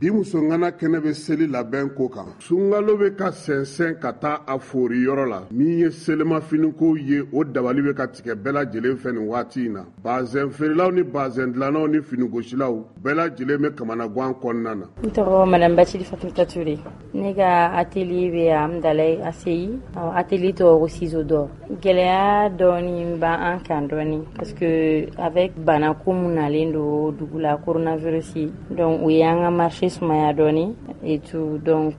Bi musongana kɛnɛ bɛ seli labɛn ko kan. Sunkalo bɛ ka sɛnsɛn ka taa a fori yɔrɔ la. Min ye selimafinikow ye, o dabali bɛ ka tigɛ bɛɛ lajɛlen fɛ nin waati in na. Bazɛn feerelaw ni bazɛn dilannaw ni finigosilaw bɛɛ lajɛlen bɛ kamanagan kɔnɔna na. N tɔgɔ Madame Bacili Fatumata Ture. Ne ka atelier bɛ Hamdallaye ACI. Atelier tɔgɔ ko Ciseaux d'or. Gɛlɛya dɔɔni b'an kan dɔɔni parce que avec bana ko mun nalen don dugu la, coronavirus, donc o y'an ka marché sumaya dɔɔni et tout. Donc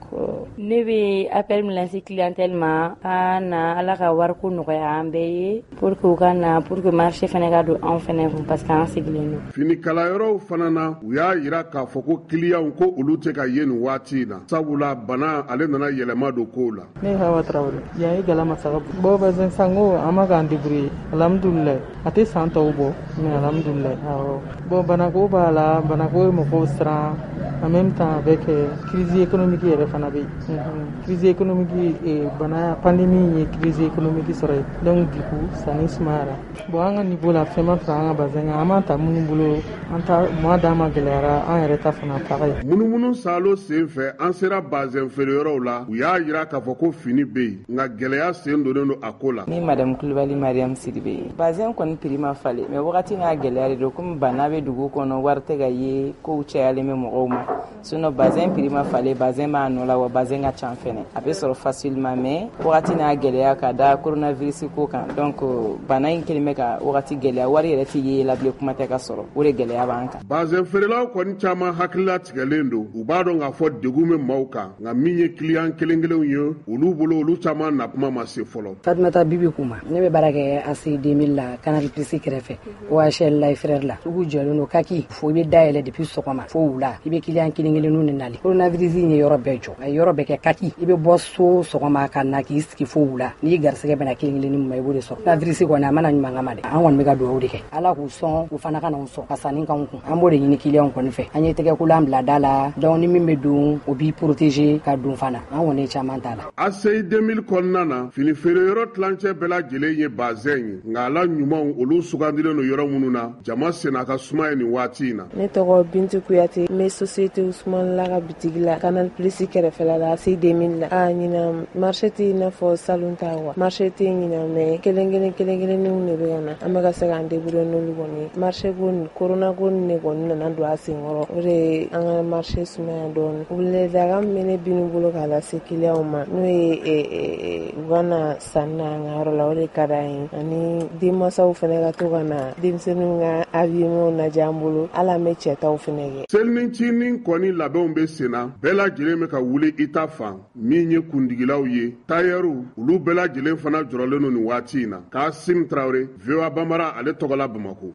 ne bɛ appel min lancer clientèle ma, ka na, Ala ka wariko nɔgɔya an bɛɛ ye, pour que u ka na, pour que marché fɛnɛ ka don anw fɛnɛ kun, parce que an sigilen don. Finikalayɔrɔw fana na, u y'a yira k'a fɔ ko kiliyanw ko olu tɛ ka ye nin waati in na, sabula bana ale nana yɛlɛma don kow la. Ne Hawa Tarawele, yan ye Galama Saga. Bon, bazin sango, an ma k'an débrouiller, alhamdulilayi. A tɛ san tɔw bɔ, mais alhamdulilayi, awɔ. Bon, banako b'a la, banako ye mɔgɔw siran, en même temps avec crise économique yɛrɛ fana bɛ yen. Crise économique, bana pandémie ye crise économique sɔrɔ yen, donc du coup sanni sumayara. Bon, an ka niveau la, fɛn ma fara an ka bazin kan. An b'a ta minnu bolo, an ta mois d'an ma gɛlɛyara, an yɛrɛ ta fana pareil. Munumunu salo sen fɛ, an sera bazɛn feereyɔrɔw la. U y'a yira k'a fɔ ko fini bɛ yen, nka gɛlɛya sen donnen don a ko la. Ni Madame Kulibali Mariam Sidibe. Bazɛn kɔni prix ma falen, mais wagati n'a gɛlɛya de don. Komi bana bɛ dugu kɔnɔ, wari tɛ ka ye, kow cayalen bɛ mɔgɔw ma. Sinon bazɛn prix ma falen, bazɛn b'a nɔ la, wa bazɛn ka ca fɛnɛ, a bɛ sɔrɔ facilement, mais wagati n'a gɛlɛya ka da coronavirus ko kan. Donc bana in kelen bɛ ka wagati gɛlɛya, wari yɛrɛ tɛ ye la bilen, kuma tɛ ka sɔrɔ. O de gɛlɛya b'an kan. Bazɛn feerelaw kɔni caman hakilila tigɛlen don. U b'a dɔn k'a fɔ degun bɛ maaw kan, nka min ye kiliyan kelen kelenw ye olu bolo, olu caman na kuma ma se fɔlɔ. Fatumata Bibi Kuma, ne bɛ baara kɛ ACI 2000 la, Canal Plus kɛrɛfɛ, OHL la frère la. Sugu jɔlen don kaki fo i bɛ dayɛlɛ depuis sɔgɔma fo wula, i bɛ kiliyan kelen kelenninw de nali. Coronavirus in ye yɔrɔ bɛɛ jɔ, a ye yɔrɔ bɛɛ kɛ kaki. I bɛ bɔ so sɔgɔma ka na k'i sigi fo wula, n'i garisɛgɛ bɛna kelen kelennin min ma, i b'o de sɔrɔ. Coronavirus kɔni, a mana ɲuman kama dɛ, an kɔni bɛ ka dugawu de kɛ, Ala k'u sɔn, u fana ka na sɔn ka sanni k'anw kun. An b'o de ɲini kiliyanw kɔni fɛ. An ye tɛgɛkolan bila da la, donc ni min bɛ don, o b'i protéger ka don fana. An kɔni ye caman t'a la. ACI 2000 kɔnɔna na, fini feere yɔrɔ tilancɛ bɛɛ lajɛlen ye bazɛn ye, nka ala ɲumanw, olu sugandilen don yɔrɔ minnu na, jama senna ka suma ye nin waati in na. Ne tɔgɔ Bintu Kuyate, n bɛ société Usumani la ka bitigi la, Canal Plus kɛrɛfɛla la, ACI 2000 la. A ɲinan, marché tɛ i n'a fɔ salon ta quoi, marché tɛ ɲinan, mais kelen kelen kelen kelenninw de bɛ ka na. An bɛ ka se k'an débrouiller n'olu kɔni ye. Marché ko nin, corona ko nin de kɔni nana don a senkɔrɔ, o de ye an ka marché sumaya dɔɔni. Weleweledakan min bɛ ne binu bolo k'a lase kiliyanw ma, n'o ye u ka na sanni na an ka yɔrɔ la, o de ka d'an ye, ani denmansaw fana ka to ka na denmisɛnninw ka habillement lajɛ an bolo, hali an bɛ cɛtaw fana kɛ. Selinicinin kɔni labɛnw bɛ sen na, bɛɛ lajɛlen bɛ ka wuli i ta fan. Min ye kundigilaw ye, tayɛriw, olu bɛɛ lajɛlen fana jɔrɔlen don nin waati in na. Kasim Tarawele, VOA Bambara ale tɔgɔla, Bamako.